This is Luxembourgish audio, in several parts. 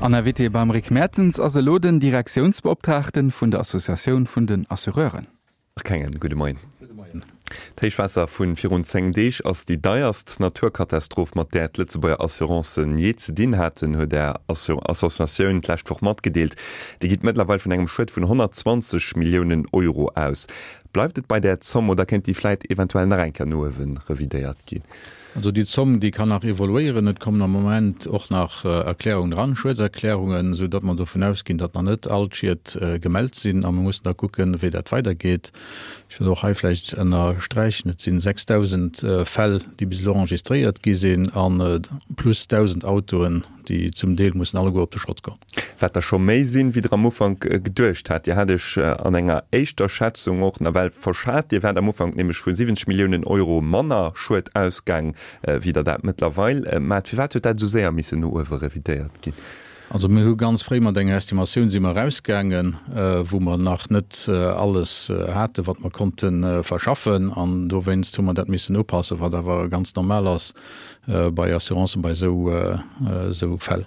An Invité beim Rick Mertens ass elo den Direktiounsbeoptraagten vun der Associatioun vun den Assureuren. Marc Hengen, gudde Moien. Gudde Moien. D'Héichwaasser vu virun 10 Deeg ass déi deierst Naturkatastroph, mat där d'Lëtzebuerger Assurancen jee ze dinn haten, huet Är Associatioun d'lescht Woch matgedeelt. Dir gitt mëttlerweil vun engem Schued vun 120 Milliounen Euro aus. Bleift et bei där Zomm oder kéint déi vläit eventuell nach eng Kéier no uewe revidéiert ginn? Also déi Zomm, déi kann nach evoluéieren. Et kommen am Moment och nach Erklärungen eran, Schuedserklärungen, esou datt mer dovun ausginn, datt nach net all d'Schied gemellt sinn. A mir mussen da kucken, wéi dat weidergeet. Ech wëll och hei vläicht ënnersträichen, Et sinn 6.000 Fäll, déi bis elo enregistréiert gi sinn, a plus 1.000 Autoen, déi zum Deel mussen alleguer op de Schrott goen. Wat der scho méi sinn, wéi Der am Ufank geduecht hat. Dir hat Iech an enger éischter Schätzung och nawell verschat. Dir waart am Ufank nämlech vu 70 Milliounen Euro manner Schued ausgaang, wéi Der dat mëttlerweil maacht. Firwat huet dat esou séier missen no uewe revidéiert ginn? Also mir hu ganz fréi mat enger Estimatioun si mer erausgaangen, wou mer nach net alles haten, wat mer konnte verschaffen. An dowéinst hu mer dat missen upassen, wat awer ganz normal ass bei Assurancen bei esou Fäll.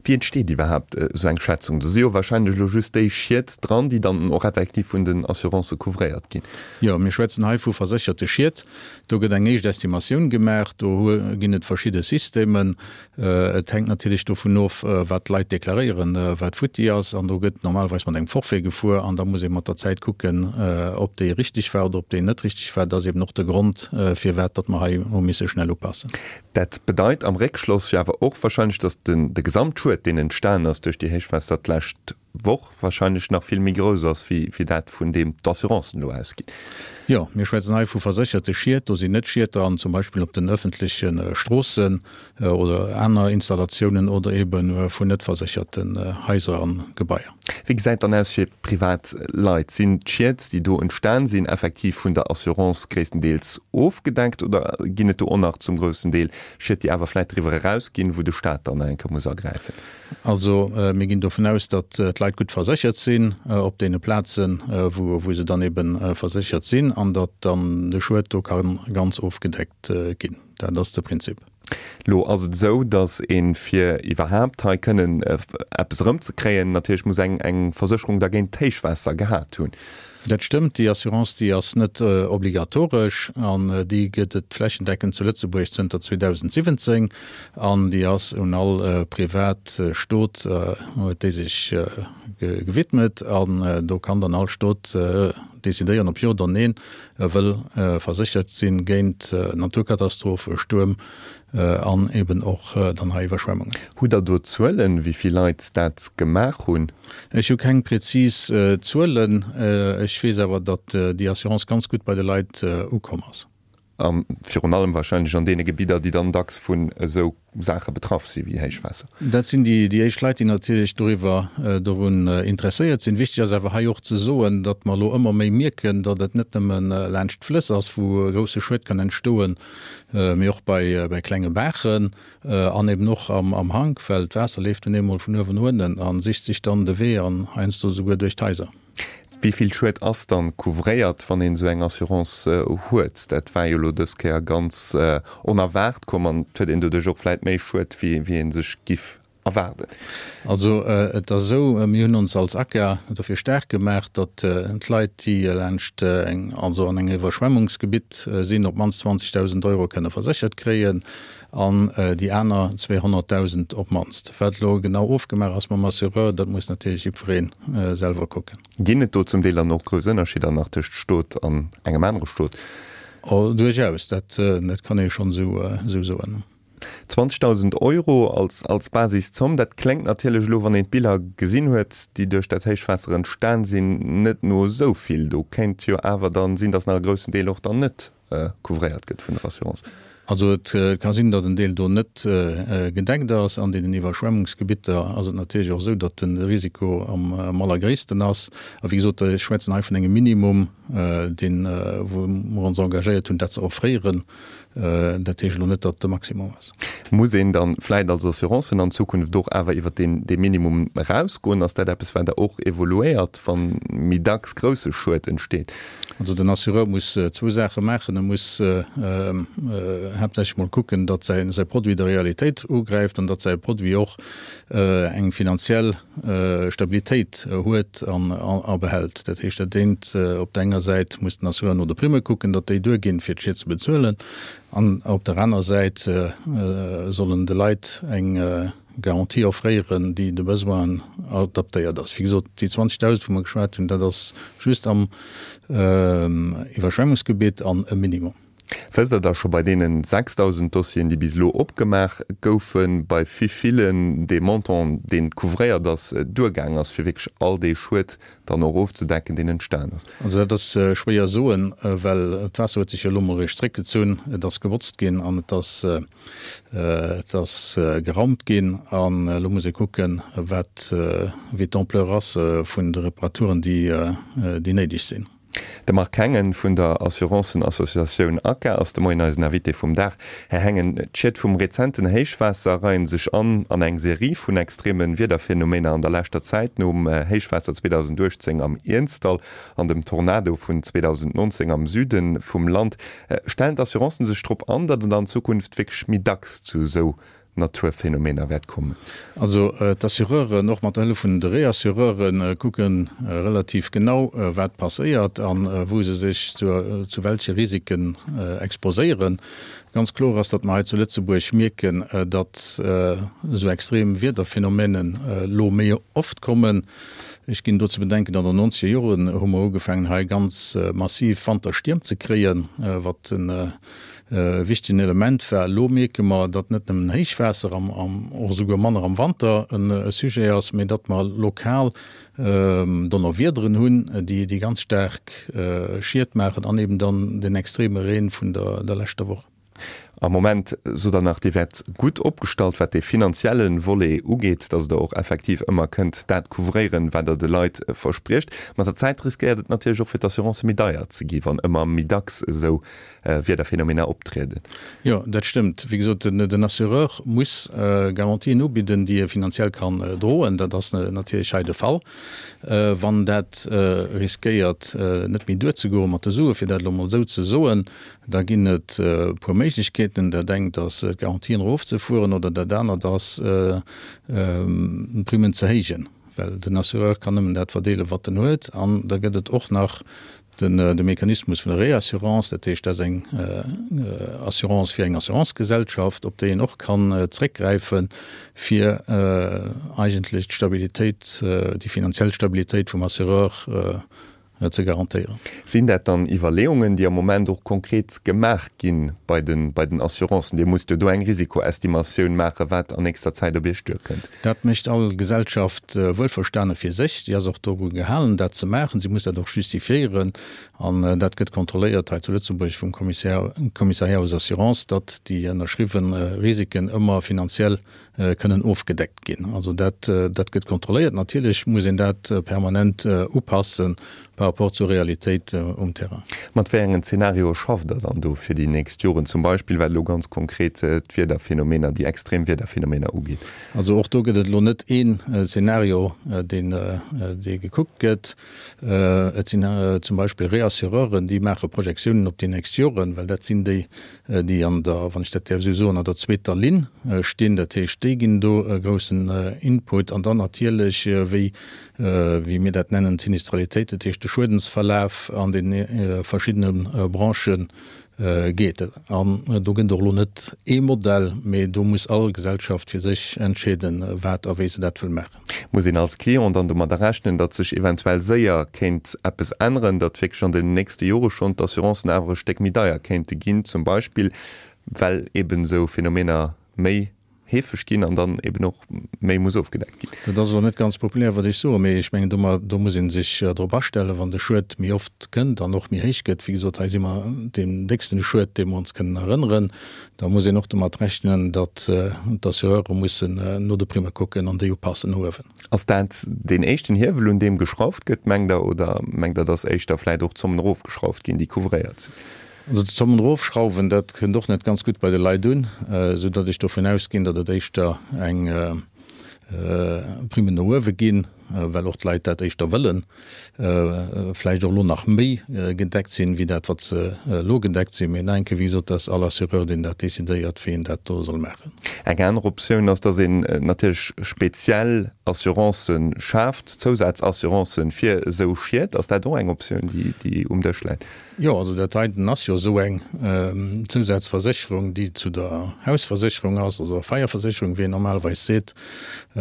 Wéi entsteet iwwerhaapt esou eng Schätzung? Do si jo wahrscheinlech elo just déi Schied dran, déi dann och effektiv vun den Assurancë couvréiert ginn. Jo, mir schwätzen hei vu versécherte Schied. Do gëtt eng éischt Estimatioun gemaach. Do ginn et verschidde Systemen. Et hänkt natierlech dovun of, wat d'Leit deklaréieren, wat futti ass. An do gëtt normalerweis mat engem Forfait gefuer. An da muss ee mat der Zäit kucken, ob déi richteg war oder ob déi net richteg war. Dat ass eben och de Grond, firwat datt mer hei hu misse schnell upassen. Dat bedeit am Réckschloss jo awer och wahrscheinlech, datt de Gesamtschued, deen entstan ass duerch déi Héichwaasser d'lescht Woch, wahrscheinlech nach vill méi grouss ass wéi dat, vun deem d'Assurancen elo ausginn. Jo, mir schwätzen hei vu versécherte Schied. Do sinn net Schied dran, zum Beispill op den öffentleche Stroossen oder aner Installatiounen oder ebe vun net versécherten Haiser a Gebaier. Wéi gesäit dann aus fir privat Leit? Sinn d'Schied, déi do entstan sinn, effektiv vun der Assurance gréisstendeels ofgedeckt oder ginn et do och nach zum groussen Deel Schied, déi awer vläit driwwer erausginn, wou de Staat dann nach eng Kéier muss agräifen? Also mir ginn dovun aus, datt d'Leit gutt verséchert sinn op deene Plazen, wou se dann ebe verséchert sinn an datt dann de Schued do ka ganz ofgedeckt ginn. Dat ass de Prinzip. Lo ass et esou, datt ee fir iwwerhaapt hei kënnen eppes erëmzekréien, natierlech muss eng eng Versécherung da géint d'Héichwaasser gehat hunn. Dat stëmmt, déi Assurance déi ass net obligatoresch an déi gëtt et flächendeckend zu Lëtzebuerg zënter 2017 an déi ass un all privat Stot huet déi sech gewidmet an do kann dann all Stot decidéieren ob jo oder neen e wëll verséchert sinn géint Naturkatastrophe, Stuerm an eben och dann hei Iwwerschwemmungen. Hutt Der do Zuelen, wéi vill Leit dat gemaach hunn? Ech hu keng präzis Zuelen. Ech weess awer, datt déi Assurance ganz gutt bei de Leit ukomm ass. A virun allem wahrscheinlech an deene Gebidder, déi dann dacks vun esou Saache betraff si wéi Héichwaasser. Dat sinn déi éischt Leit, déi natierlech doriwwer, dorun interesséiert sinn. Wichteg ass awer hei och ze soen, datt mer elo ëmmer méi mierken, datt et net nëmme laanscht d'Flëss ass, wou e grousse Schued kann entstoen, mee och bei klenge Baachen an eben och am Hank, well d'Waasser leeft nun eemol vun uewen no ënnen a sicht sech dann de Wee an heiansdo esouguer duerch d'Haiser. Wéi vill Schued ass dann couvréiert, wann een esou eng Assurance huet? Dat war jo elo dës Kéier ganz onerwaart komm an et huet een doduerch och vläit méi Schued, wéi ee sech giff erwaarden. Also et ass esou, mir hunn ons als ACA dofir staark gemaach, datt d'Leit, déi laanscht eng, also an engem Iwwerschwemmungsgebitt sinn, op d'mannst 20.000 Euro kënne verséchert kréien an déi aner 200.000 op d'mannst. Wat elo genau ofgemaach ass mam Assureur, dat muss natierlech jiddweree selwer kucken. Ginn et do zum Deel dann och grouss Ënnerscheeder nach tëscht Stot an engem anere Stot? Oh, duerchaus, dat kann ee schonn esou soen. 20.000 Euro als als Basiszomm, dat kléngt natierlech elo, wann een d'Biller gesinn huet, déi duerch dat Héichwaasser entstan sinn, net no esou vill. Do kéint jo awer dann sinn, datt nach e groussen Deel och dann net couvréiert gëtt vun der Assurance. Also et ka sinn, datt en Deel do net gedeckt ass. An deenen Iwwerschwemmungsgebitter ass et natierlech och esou, datt de Risiko am allergréissten ass. A wéi gesot, ech schwätzen hei vun engem Minimum, deen, wou mer ons engagéiert hunn, dat ze offréieren. Dat heescht elo net, datt et de Maximum ass. Muss een dann vläit als Assurancen an Zukunft och awer iwwert deen dee Minimum erausgoen? Ass dat eppes, wat Der och evoluéiert, wa méi dacks grousse Schued entsteet? Also den Assureur muss zwou Saache maachen. E muss haaptsächlech mol kucken, datt säi säi Produit der Realitéit ugräift an datt säi Produit och eng finanziell Stabilitéit huet an a behält. Dat heescht, dat eent, op der enger Säit muss den Assureur no de Primme kucken, datt déi duerginn, fir d'Schied ze bezuelen, an op der aner Säit soll en de Leit eng Garantie offréieren, déi de Besoinen adaptéiert ass. Wéi gesot, déi 20.000, wou mer geschwat hunn, dat ass just am Iwwerschwemmungsgebitt an e Minimum. Wësst Der da scho bei deenen 6.000 Dossieren, déi bis elo opgemaach goufen, bei wéi villen dee Montant, deen couvréiert ass, duergaang ass, fir wierklech all dee Schued dann och ofzedecken, deen entstan ass? Also dat ass schwéier soen, well d'Waasser huet sech jo elo mol eréischt zréckgezunn. Et ass gebotzt ginn an et ass, et ass geraumt ginn. An elo muss ee kucken, wat, wéi d'Ampleur ass vun de Reparaturen, déi, déi néideg sinn. De Marc Hengen vun der Assurancen-Associatioun ACA ass de Moien eisen Invité vum Dag. Här Hengen, d'Schied vum rezenten Héichwaasser reien sech an an eng Serie vun extreme Wiederphenomener an der leschter Zäit, nom Héichwaasser 2018 am Iernzdall an dem Tornado vun 2019 am Süde vum Land. Stellen d'Assurancen sech drop an, datt et an Zukunft wierklech méi dacks zu esou Naturphänomener wäert kommen? Also d'Assureuren, och mat der Hëllef vun de Reassureuren, kucke relativ genau, wat passéiert a wou se sech zu welche Risiken exposéieren. Ganz kloer ass, datt mer hei zu Lëtzebuerg mierken, datt esou extrem Wiederphänomenen elo méi oft kommen. Ech ginn do ze bedenken, an den nonzeger Joren hu mer ugefaangen, hei ganz massiv Wanterstierm ze kréien, wat en wichtegen Element war. Elo mierke mer, datt net nëmmen Héichwaasser am, och esouguer manner am Wanter e Sujet ass, mee datt mer lokal Donnerwiederen hunn, déi déi ganz staark Schied maachen an eben dann den extreme Reen vun der leschter Woch. Am Moment sot Der nach, Dir wäert gutt opgestallt, wat dee finanzielle Volet ugeet, datt Der och effektiv ëmmer kënnt dat couvréieren, wat Der de Leit verspriecht. Mat der Zäit riskéiert et natierlech och fir d'Assurancë méi deier ze gi, wann ëmmer méi dacks esou Wiederphänomener optrieden. Jo, dat stëmmt. Wéi gesot, den Assureur muss Garantien ubidden, déi e finanziell kann droen. Dat ass natierlech hei de Fall. Wann dat riskéiert, net méi duerzegoen mat de Suen, fir dat elo emol esou ze soen, da ginn et e puer Méiglechkeeten. Dat engt ass, d'Garantien erofzefueren, oder dat anert ass, d'Primmen ze héijen, well den Assureur kann nëmmen dat verdeelen, wat en huet. An da gëtt et och nach De Mechanismus vun der Réassurance, dat heescht, dat ass eng Assurance fir eng Assurancegesellschaft, op déi een och kann zréckgräifen, fir eigentlech d'Stabilitéit, déi finanziell Stabilitéit vum Assureur ze garantéieren. Sinn dat dann Iwwerleeungen, déi am Moment och konkret gemaach gi bei den Assurancen? Dir musst jo do eng Risikoestimatioun maachen, wat an nächster Zäit op Iech duerkënnt. Dat mécht all Gesellschaft wuelverstane fir sech. Si ass och doru gehalen, dat ze maachen. Si muss dat och justifiéieren. An dat gëtt kontrolléiert hei zu Lëtzebuerg vum Commissariat aux assurances, datt déi ënnerschriwwe Risiken ëmmer finanziell kënnen ofgedeckt ginn. Also dat, dat gëtt kontrolléiert. Natierlech muss een dat permanent upassen par rapport zur Realitéit um Terrain. Mat wéi engen Zenarioe schafft Der dann do fir déi nächst Joren, zum Beispill wat elo ganz konkret d'Wiederphänomener, déi extrem Wiederphänomener ugeet? Also och do gëtt et elo net een Zenario, deen, dee gekuckt gëtt. Et sinn zum Beispill Reassureuren, déi maache Projektiounen op déi nächst Joren, well dat sinn déi, déi an der, wann ech dat däerf esou soen, an der zweeter Linn stinn. Dat heescht, déi ginn do e groussen Input. An dann natierlech, wéi, wéi mir dat nennen, d'Sinistralitéit, dat heescht de Schuedensverlaf an de verschiddene Branchë geet. An do gëtt et och elo net ee Modell, mee do muss all Gesellschaft fir sech entscheeden, wat a wéi se dat wëll maachen. Muss een als Client dann domadder rechnen, datt sech eventuell séier kéint eppes änneren, datt wierklech an den nächste Jore schonn d'Assurancen awer e Stéck méi deier kéinte ginn, zum Beispill well eben esou Phänomener méi heefeg ginn an dann eben och méi muss ofgedeckt ginn? Dat ass elo net ganz populär, wat ech soen, mee ech mengen, do muss ee sech drop astellen, wann de Schued méi oft kënnt an och méi héich gëtt, wéi gesot, hei si mer deen décksten Schued, dee mer ons kënnen erënneren, Da muss een och domat rechnen, datt d'Assureure mussen no de Primme kucken an déi upassen no uewen. Ass dat deen éischten Hiewel, un deem geschrauft gëtt, mengt Der, oder mengt Der, datt éischter vläicht och d'Zommen erofgeschrauft ginn, déi couvréiert sinn? Also d'Zommen erofschrauwen, dat kënnt och net ganz gutt bei de Leit un, esou datt ech dovun ausginn, datt et éischter eng Primmen no uewe ginn, well och d'Leit dat éischter wëllen, vläicht och elo nach méi gedeckt sinn, wéi dat wat se elo gedeckt sinn. Mee nach eng Kéier, wéi gesot, dat ass all Assureur, deen dat decidéiert, wéi en dat do soll maachen. Eng aner Optioun ass, datt een natierlech speziell Assurancë schaaft, Zousazassurancë fir esou Schied. Ass dat och eng Optioun, déi um Dësch läit? Jo, also dat heiten ass jo esou eng Zousazversécherung, déi zu der Hausversécherung ass, also der Feierversécherung, wéi een normalerweis seet.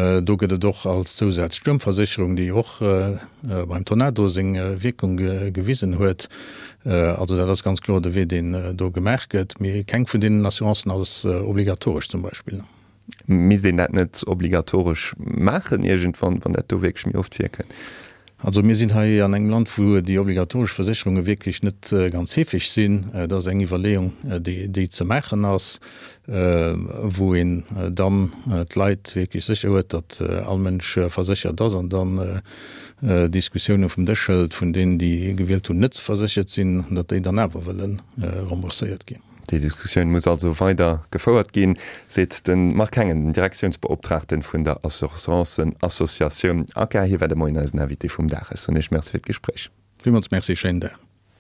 Do gëtt et och als Zousaz d'Stuermversécherung, déi och beim Tornado seng Wierkung gewisen huet. Also dat ass ganz kloer de Wee, deen do gemaach gëtt. Mee keng vun deenen Assurancen ass obligatoresch zum Beispill. Misst een dat net obligatoresch maachen iergendwann, wann dat do wierklech méi oft virkënnt? Also mir sinn hei an engem Land, wou déi obligatoresch Versécherunge wierklech net ganz heefeg sinn. Dat ass eng Iwwerleeung, déi ze maachen ass, wou een dann d'Leit wierklech sécher huet, datt all Mënsch verséchert ass an dann Diskussioune vum Dësch hëlt vun deenen, déi gewielt hunn, net ze verséchert sinn, datt déi dann awer wëlle rembourséiert ginn. Déi Diskussioun muss also weider gefouert ginn, seet de Marc Hengen, den Direktiounsbeoptraagten vun der Assurancen-Associatioun ACA. Hie war de Moien eisen Invité vum Dag. Ech soen Iech Merci fir d'Gespréich. Villmools Merci, schéinen Dag.